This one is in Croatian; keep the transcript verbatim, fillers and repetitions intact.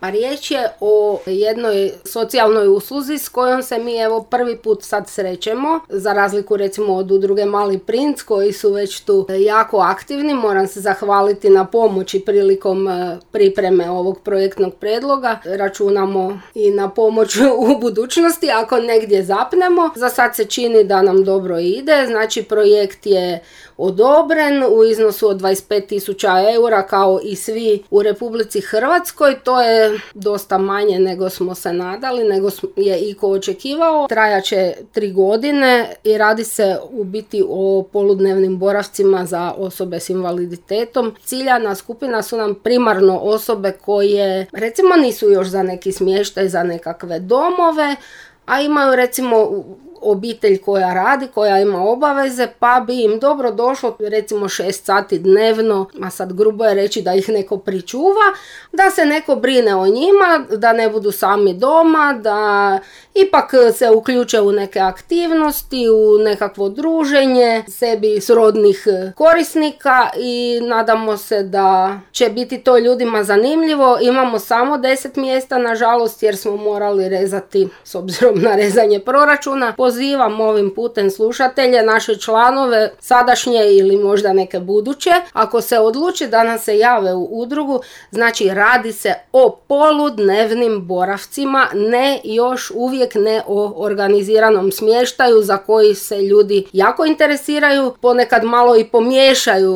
Pa riječ je o jednoj socijalnoj usluzi s kojom se mi evo prvi put sad srećemo, za razliku recimo od udruge Mali princ koji su već tu jako aktivni. Moram se zahvaliti na pomoći prilikom pripreme ovog projektnog prijedloga. Računamo i na pomoć u budućnosti ako negdje zapnemo. Za sad se čini da nam dobro ide, znači projekt je odobren u iznosu od dvadeset pet tisuća eura kao i svi u Republici Hrvatskoj. To je dosta manje nego smo se nadali, nego je iko očekivao. Trajaće tri godine i radi se u biti o poludnevnim boravcima za osobe s invaliditetom. Ciljana skupina su nam primarno osobe koje recimo nisu još za neki smještaj, za nekakve domove, a imaju recimo obitelj koja radi, koja ima obaveze, pa bi im dobro došlo recimo šest sati dnevno, a sad grubo je reći da ih neko pričuva, da se neko brine o njima, da ne budu sami doma, da ipak se uključe u neke aktivnosti, u nekakvo druženje sebi srodnih korisnika i nadamo se da će biti to ljudima zanimljivo. Imamo samo deset mjesta nažalost jer smo morali rezati s obzirom na rezanje proračuna. Pozivam ovim putem slušatelje, naše članove, sadašnje ili možda neke buduće, ako se odluče da nas se jave u udrugu, znači radi se o poludnevnim boravcima, ne još uvijek ne o organiziranom smještaju za koji se ljudi jako interesiraju, ponekad malo i pomiješaju